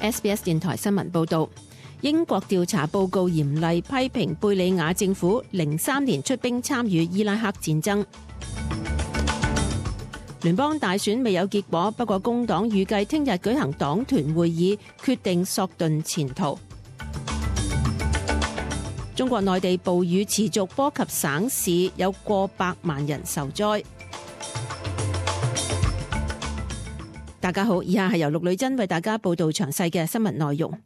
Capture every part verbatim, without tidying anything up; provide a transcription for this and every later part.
S B S 電台新聞報道，英國調查報告嚴厲批評貝理雅政府零三年出兵參與伊拉克戰爭。聯邦大選未有結果，不過工黨預計聽日舉行黨團會議，決定索頓前途。中國內地暴雨持續波及省市，有過百萬人受災。大家好，以下係由陸女珍為大家報道詳細嘅新聞內容。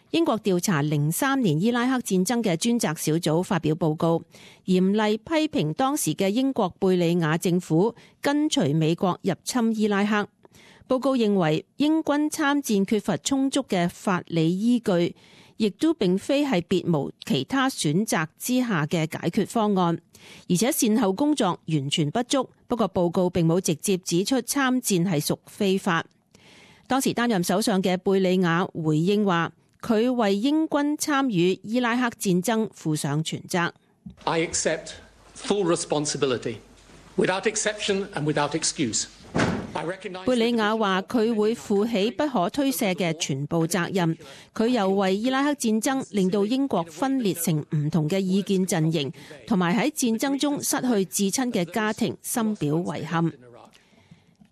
英國調查零三年伊拉克戰爭嘅專責小組發表報告，嚴厲批評當時嘅英國貝理雅政府跟隨美國入侵伊拉克。報告認為英軍參戰缺乏充足嘅法理依據，亦都並非係別無其他選擇之下嘅解決方案，而且善後工作完全不足。不過報告並冇直接指出參戰係屬非法。當時擔任首相嘅貝理雅回應話，佢為英軍參與伊拉克戰爭負上全責。I accept full responsibility, without exception and without excuse. 貝理雅話佢會負起不可推卸嘅全部責任。佢又為伊拉克戰爭令到英國分裂成唔同嘅意見陣營，同埋喺戰爭中失去至親嘅家庭，深表遺憾。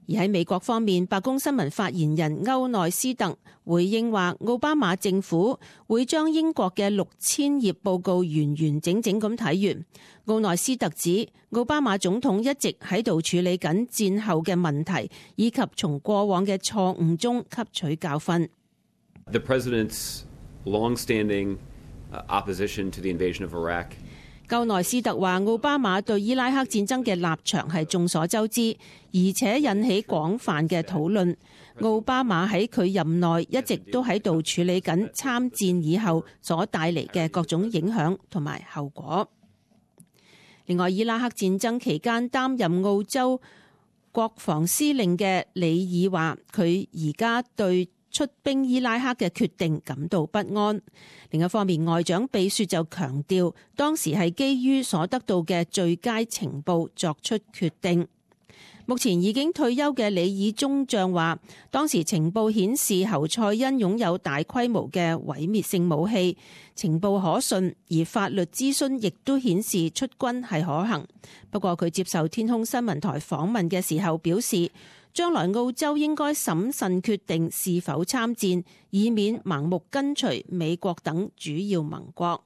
而喺美國方面，白宮新聞發言人歐內斯特回應話，奧巴馬政府會將英國嘅六千頁報告完完整整咁睇完。奧內斯特指，奧巴馬總統一直喺度處理緊戰後嘅問題，以及從過往嘅錯誤中吸取教訓。The president's long-standing opposition to the invasion of Iraq. 歐內斯特話，奧巴馬對伊拉克戰爭嘅立場係眾所周知，而且引起廣泛嘅討論。奧巴馬喺佢任內一直都喺度處理緊參戰以後所帶嚟嘅各種影響同埋後果。另外，伊拉克戰爭期間擔任澳洲國防司令嘅里爾話，佢而家對出兵伊拉克嘅決定感到不安。另一方面，外長比雪就強調，當時係基於所得到嘅最佳情報作出決定。目前已經退休嘅里爾中將話，當時情報顯示侯賽因擁有大規模嘅毀滅性武器，情報可信，而法律諮詢亦都顯示出軍係可行。不過佢接受天空新聞台訪問嘅時候表示，將來澳洲應該審慎決定是否參戰，以免盲目跟隨美國等主要盟國。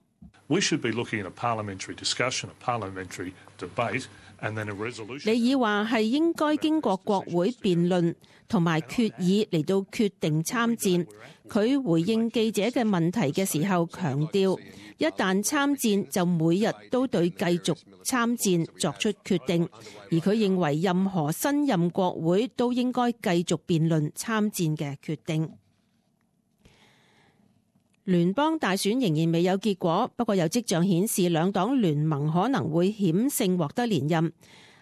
We should be looking at a parliamentary discussion, a parliamentary debate, and then a resolution. 里爾話係應該經過國會辯論同埋決議嚟到決定參戰。佢回應記者嘅問題嘅時候強調，一旦參戰就每日都對繼續參戰作出決定，而佢認為任何新任國會都應該繼續辯論參戰嘅決定。聯邦大選仍然未有結果，不過有跡象顯示兩黨聯盟可能會險勝獲得連任。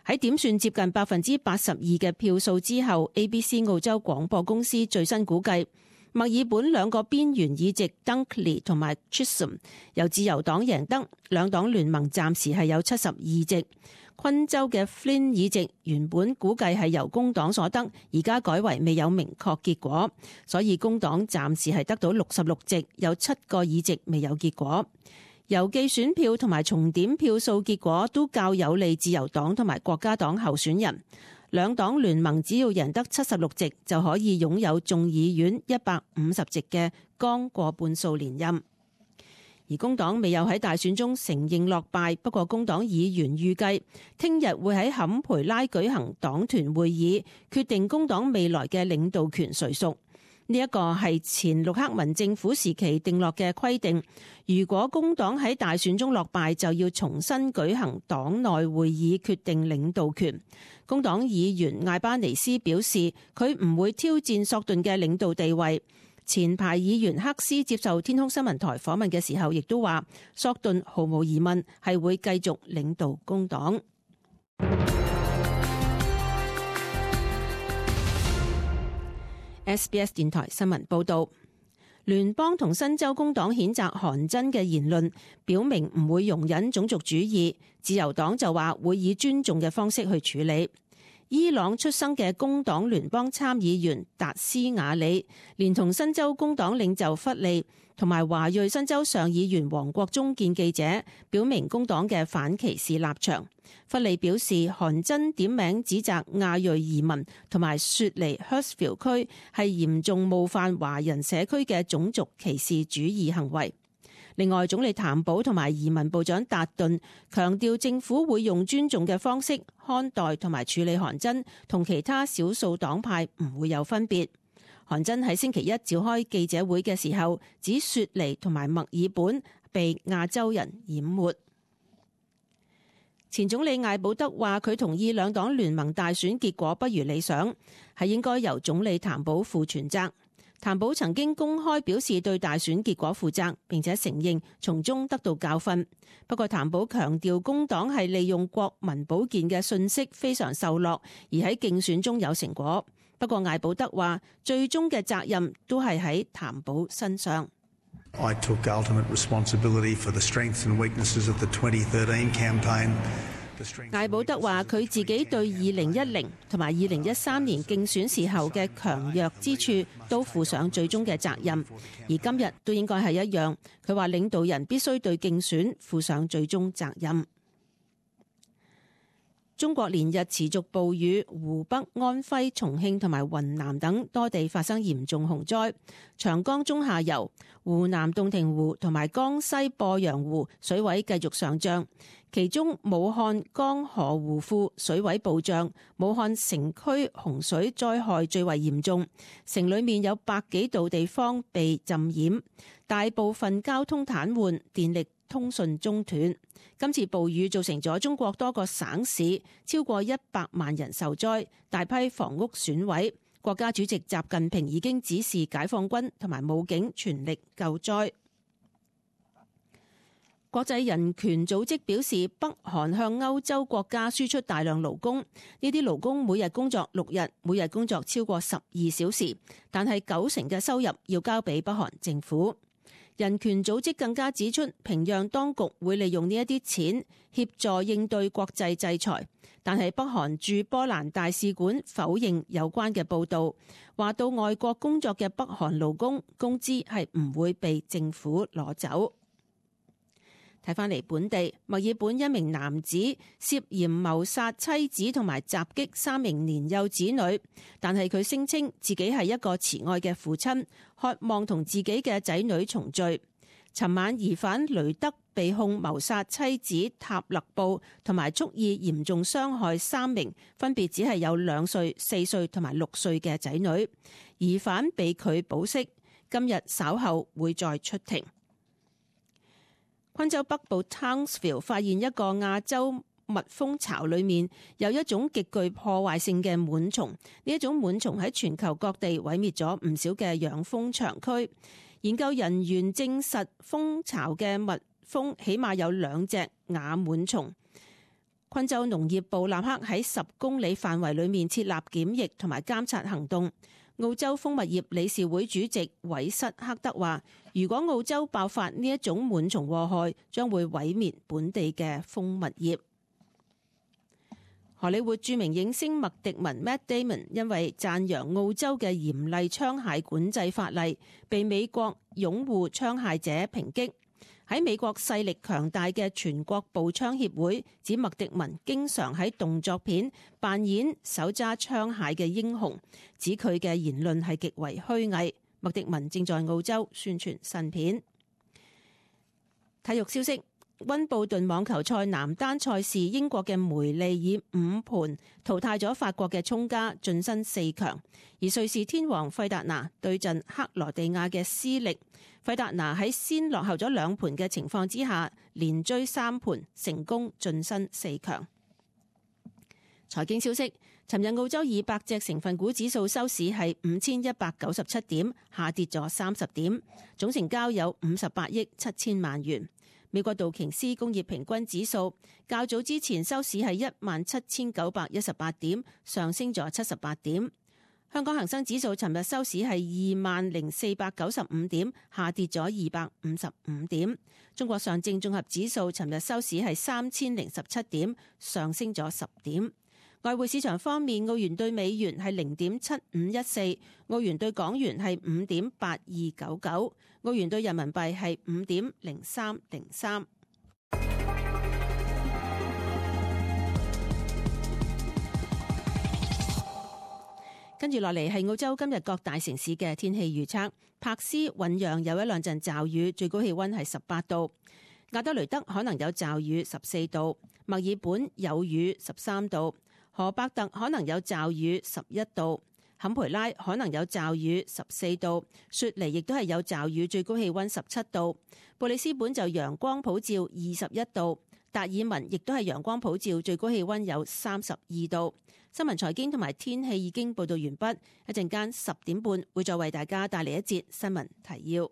喺點算接近百分之八十二嘅票數之後， A B C 澳洲廣播公司最新估計，墨爾本兩個邊緣議席 Dunkley 同埋 Chisholm 由自由黨贏得，兩黨聯盟暫時係有七十二席。昆州嘅 Flynn 議席原本估計係由工黨所得，而家改為未有明確結果，所以工黨暫時係得到六十六席，有七個議席未有結果。郵寄選票同埋重點票數結果都較有利自由黨同埋國家黨候選人。兩黨聯盟只要贏得七十六席，就可以擁有眾議院一百五十席嘅剛過半數連任。而工黨未有喺大選中承認落敗，不過工黨議員預計聽日會喺坎培拉舉行黨團會議，決定工黨未來嘅領導權誰屬。呢一個係前陸克文政府時期定落嘅規定，如果工黨喺大選中落敗，就要重新舉行黨內會議決定領導權。工黨議員艾巴尼斯表示，佢唔會挑戰索頓嘅領導地位。前排議員克斯接受天空新聞台訪問嘅時候，亦都話索頓毫無疑問係會繼續領導工黨。S B S 電台新聞報道，聯邦同新州工黨譴責韓真嘅言論，表明唔會容忍種族主義。自由黨就話會以尊重嘅方式去處理。伊朗出生嘅工黨聯邦參議員達斯瓦里，連同新州工黨領袖弗利同埋華裔新州上議員黃國忠見記者，表明工黨嘅反歧視立場。弗利表示，韓真點名指責亞裔移民同埋雪梨 Hurstville 區係嚴重冒犯華人社區嘅種族歧視主義行為。另外，總理譚寶同埋移民部長達頓強調，政府會用尊重嘅方式看待同埋處理韓真，同其他少數黨派唔會有分別。韓真喺星期一召開記者會嘅時候，指雪梨同埋墨爾本被亞洲人淹沒。前總理艾保德話，佢同意兩黨聯盟大選結果不如理想，係應該由總理譚寶負全責。譚寶曾經公開表示對大選結果負責，並且承認從中得到教訓。不過譚寶強調工黨係利用國民保健嘅信息非常受落，而喺競選中有成果。不過艾保德話最終嘅責任都係喺譚寶身上。I took ultimate responsibility for the strengths and weaknesses of the twenty thirteen campaign. 艾保德話佢自己對二零一零同埋二零一三年競選時候嘅強弱之處都負上最終嘅責任，而今日都應該係一樣。佢話領導人必須對競選負上最終責任。中國連日持續暴雨，湖北、安徽、重慶同埋雲南等多地發生嚴重洪災。長江中下游、湖南洞庭湖同埋江西鄱陽湖水位繼續上漲，其中武漢江河湖庫水位暴漲，武漢城區洪水災害最為嚴重，城裡面有百幾度地方被浸淹，大部分交通癱瘓，電力通訊中斷。今次暴雨造成咗中國多個省市超過一百萬人受災，大批房屋損毀。國家主席習近平已經指示解放軍同埋武警全力救災。國際人權組織表示，北韓向歐洲國家輸出大量勞工，呢啲勞工每日工作六日，每日工作超過十二小時，但係九成嘅收入要交俾北韓政府。人權組織更加指出，平壤當局會利用呢一啲錢協助應對國際制裁，但係北韓駐波蘭大使館否認有關嘅報導，話到外國工作嘅北韓勞工工資係唔會被政府攞走。睇返嚟本地，墨爾本一名男子涉嫌謀殺妻子同埋襲擊三名年幼子女，但係佢聲稱自己係一個慈愛嘅父親，渴望同自己嘅仔女重聚。尋晚疑犯雷德被控謀殺妻子塔勒布同埋蓄意嚴重傷害三名分別只係有兩歲、四歲同埋六歲嘅仔女，疑犯被拒保釋，今日稍後會再出庭。昆州北部 Townsville 發現一個亞洲蜜蜂巢，裏面有一種極具破壞性嘅蟎蟲。呢一種蟎蟲喺全球各地毀滅咗唔少嘅養蜂場區。研究人員證實，蜂巢嘅蜜蜂起碼有兩隻亞蟎蟲。昆州農業部立刻喺十公里範圍裏面設立檢疫同埋監察行動。澳洲蜂蜜業理事會主席韋瑟克德話，如果澳洲爆發呢一種蟎蟲禍害，將會毀滅本地嘅蜂蜜業。荷里活著名影星麥迪文 Matt Damon 因為讚揚澳洲嘅嚴厲槍械管制法例，被美國擁護槍械者抨擊。喺美國勢力強大嘅全國步槍協會指麥迪文經常喺動作片扮演手揸槍械嘅英雄，指佢嘅言論係極為虛偽。麥迪文正在澳洲宣傳新片。體育消息：溫布頓網球賽男單賽事，英國嘅梅利以五盤淘汰咗法國嘅聰加，晉身四強。而瑞士天王費達拿對陣克羅地亞嘅斯力，費達拿喺先落後咗兩盤嘅情況之下，連追三盤，成功晉身四強。財經消息：尋日澳洲二百隻成分股指數收市係五千一百九十七點，下跌咗三十點，總成交有五十八億七千萬元。美國道瓊斯工業平均指數較早之前收市係一萬七千九百一十八點，上升咗七十八點。香港恒生指數尋日收市係二萬零四百九十五點，下跌咗二百五十五點。中國上證綜合指數尋日收市係三千零十七點，上升咗十點。外匯市場方面，澳元對美元係零點七五一四，澳元對港元係五點八二九九，澳元對人民幣係五點零三零三。跟住落嚟係澳洲今日各大城市嘅天氣預測。柏斯醞釀有一兩陣驟雨，最高氣溫係十八度。亞德雷德可能有驟雨，十四度。墨爾本有雨，十三度。荷伯特可能有驟雨，十一度。坎培拉可能有驟雨，十四度。雪梨亦都係有驟雨，最高氣溫十七度。布里斯本就陽光普照，二十一度。達爾文亦都係陽光普照，最高氣溫有三十二度。新聞財經同埋天氣已經報道完畢，一陣間十點半會再為大家帶嚟一節新聞提要。